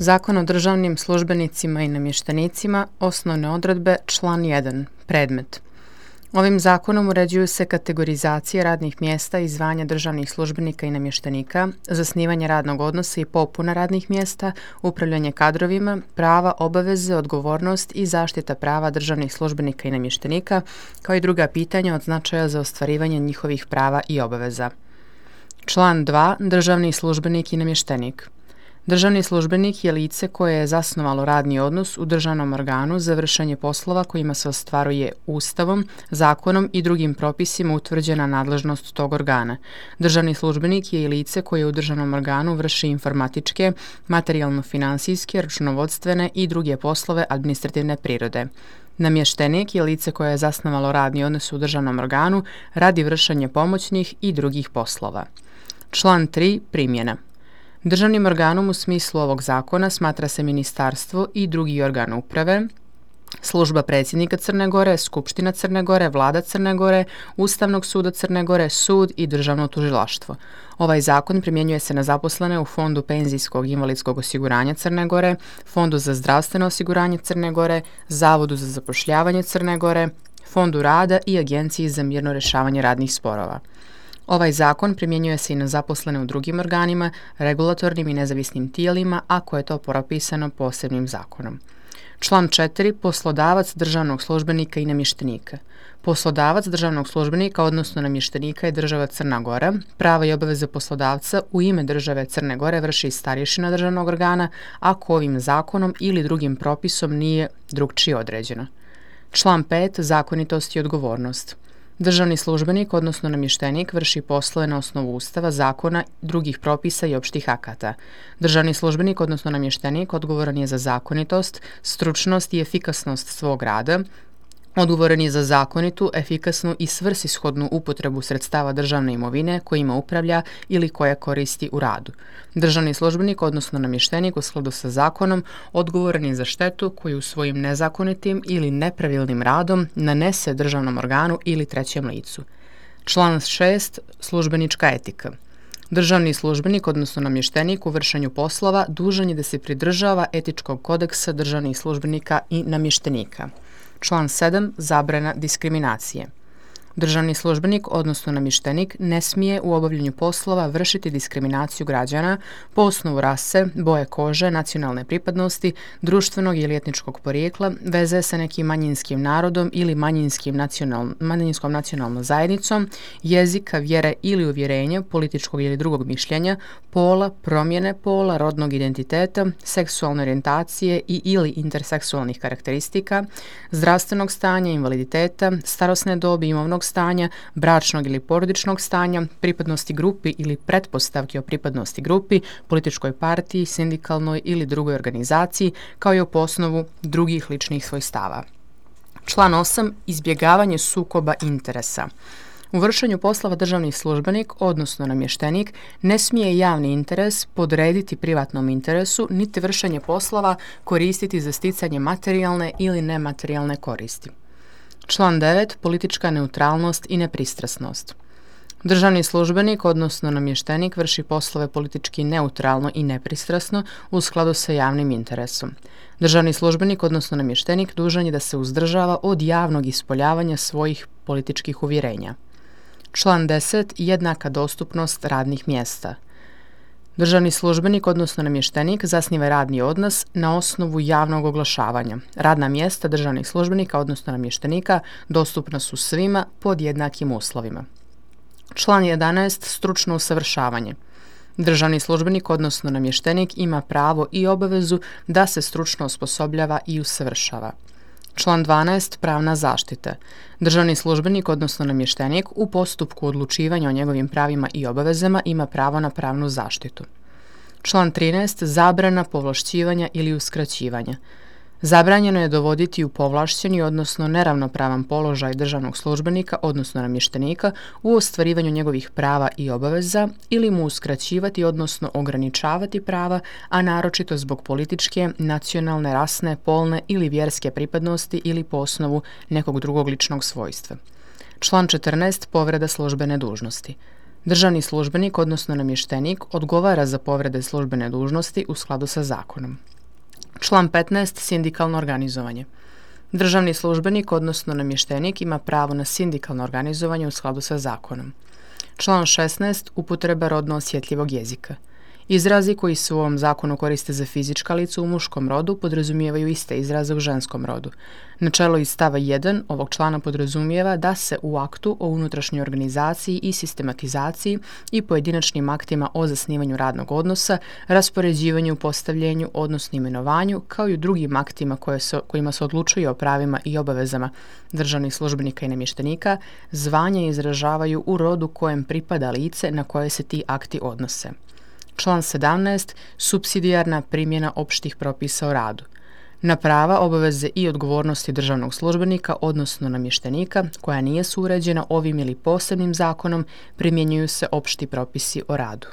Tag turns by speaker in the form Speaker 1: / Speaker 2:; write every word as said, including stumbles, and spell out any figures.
Speaker 1: Zakon o državnim službenicima i namještenicima, osnovne odredbe, član jedan. Predmet. Ovim zakonom uređuju se kategorizacije radnih mjesta i zvanja državnih službenika i namještenika, zasnivanje radnog odnosa i popuna radnih mjesta, upravljanje kadrovima, prava, obaveze, odgovornost i zaštita prava državnih službenika i namještenika, kao i druga pitanja od značaja za ostvarivanje njihovih prava i obaveza. Član dva. Državni službenik i namještenik. Državni službenik je lice koje je zasnovalo radni odnos u državnom organu za vršenje poslova kojima se ostvaruje Ustavom, zakonom i drugim propisima utvrđena nadležnost tog organa. Državni službenik je i lice koje u državnom organu vrši informatičke, materijalno-finansijske, računovodstvene i druge poslove administrativne prirode. Namještenik je lice koje je zasnovalo radni odnos u državnom organu radi vršenja pomoćnih i drugih poslova. Član tri. Primjena. Državnim organom u smislu ovog zakona smatra se ministarstvo i drugi organ uprave, služba predsjednika Crne Gore, Skupština Crne Gore, Vlada Crne Gore, Ustavnog suda Crne Gore, sud i državno tužilaštvo. Ovaj zakon primjenjuje se na zaposlene u Fondu penzijskog i invalidskog osiguranja Crne Gore, Fondu za zdravstveno osiguranje Crne Gore, Zavodu za zapošljavanje Crne Gore, Fondu rada i Agenciji za mirno rješavanje radnih sporova. Ovaj zakon primjenjuje se i na zaposlene u drugim organima, regulatornim i nezavisnim tijelima, ako je to propisano posebnim zakonom. Član četiri. Poslodavac državnog službenika i namještenika. Poslodavac državnog službenika, odnosno namještenika, je država Crna Gora. Prava i obaveze poslodavca u ime države Crne Gore vrši starješina državnog organa, ako ovim zakonom ili drugim propisom nije drugčije određeno. Član pet. Zakonitost i odgovornost. Državni službenik, odnosno namještenik, vrši poslove na osnovu Ustava, zakona, drugih propisa i opštih akata. Državni službenik, odnosno namještenik, odgovoran je za zakonitost, stručnost i efikasnost svog rada, odgovoran je za zakonitu, efikasnu i svrsishodnu upotrebu sredstava državne imovine kojima upravlja ili koja koristi u radu. Državni službenik, odnosno namještenik, u skladu sa zakonom, odgovoran je za štetu koju svojim nezakonitim ili nepravilnim radom nanese državnom organu ili trećem licu. Član šest. Službenička etika. Državni službenik, odnosno namještenik, u vršenju poslova dužan je da se pridržava etičkog kodeksa državnih službenika i namještenika. Član sedam. Zabrana diskriminacije. Državni službenik, odnosno namještenik, ne smije u obavljanju poslova vršiti diskriminaciju građana po osnovu rase, boje kože, nacionalne pripadnosti, društvenog ili etničkog porijekla, veze sa nekim manjinskim narodom ili manjinskim nacional, manjinskom nacionalnom zajednicom, jezika, vjere ili uvjerenja, političkog ili drugog mišljenja, pola, promjene pola, rodnog identiteta, seksualne orijentacije i ili interseksualnih karakteristika, zdravstvenog stanja, invaliditeta, starosne dobi, imovnog stanja, bračnog ili porodičnog stanja, pripadnosti grupi ili pretpostavki o pripadnosti grupi, političkoj partiji, sindikalnoj ili drugoj organizaciji, kao i po osnovu drugih ličnih svojstava. Član osam. Izbjegavanje sukoba interesa. U vršenju poslova državni službenik, odnosno namještenik, ne smije javni interes podrediti privatnom interesu, niti vršenje poslova koristiti za sticanje materijalne ili nematerijalne koristi. Član devet. Politička neutralnost i nepristrasnost. Državni službenik, odnosno namještenik, vrši poslove politički neutralno i nepristrasno u skladu sa javnim interesom. Državni službenik, odnosno namještenik, dužan je da se uzdržava od javnog ispoljavanja svojih političkih uvjerenja. Član deset. Jednaka dostupnost radnih mjesta. Državni službenik, odnosno namještenik, zasniva radni odnos na osnovu javnog oglašavanja. Radna mjesta državnih službenika, odnosno namještenika, dostupna su svima pod jednakim uslovima. Član jedanaest. Stručno usavršavanje. Državni službenik, odnosno namještenik, ima pravo i obavezu da se stručno osposobljava i usavršava. Član dvanaest. Pravna zaštita. Državni službenik, odnosno namještenik, u postupku odlučivanja o njegovim pravima i obavezama ima pravo na pravnu zaštitu. Član trinaest. Zabrana povlašćivanja ili uskraćivanja. Zabranjeno je dovoditi u povlašćeni, odnosno neravnopravan položaj državnog službenika, odnosno namještenika, u ostvarivanju njegovih prava i obaveza ili mu uskraćivati, odnosno ograničavati prava, a naročito zbog političke, nacionalne, rasne, polne ili vjerske pripadnosti ili po osnovu nekog drugog ličnog svojstva. Član četrnaest. Povreda službene dužnosti. Državni službenik, odnosno namještenik, odgovara za povrede službene dužnosti u skladu sa zakonom. Član petnaest. Sindikalno organizovanje. Državni službenik, odnosno namještenik, ima pravo na sindikalno organizovanje u skladu sa zakonom. Član šesnaest. Upotreba rodno osjetljivog jezika. Izrazi koji se u ovom zakonu koriste za fizička lica u muškom rodu podrazumijevaju iste izraze u ženskom rodu. Načelo iz stava jedan ovog člana podrazumijeva da se u aktu o unutrašnjoj organizaciji i sistematizaciji i pojedinačnim aktima o zasnivanju radnog odnosa, raspoređivanju, postavljenju, odnosno imenovanju, kao i u drugim aktima koje se, kojima se odlučuje o pravima i obavezama državnih službenika i namještenika, zvanje izražavaju u rodu kojem pripada lice na koje se ti akti odnose. Član sedamnaest. Supsidijarna primjena opštih propisa o radu. Na prava, obaveze i odgovornosti državnog službenika, odnosno namještenika, koja nije uređena ovim ili posebnim zakonom, primjenjuju se opšti propisi o radu.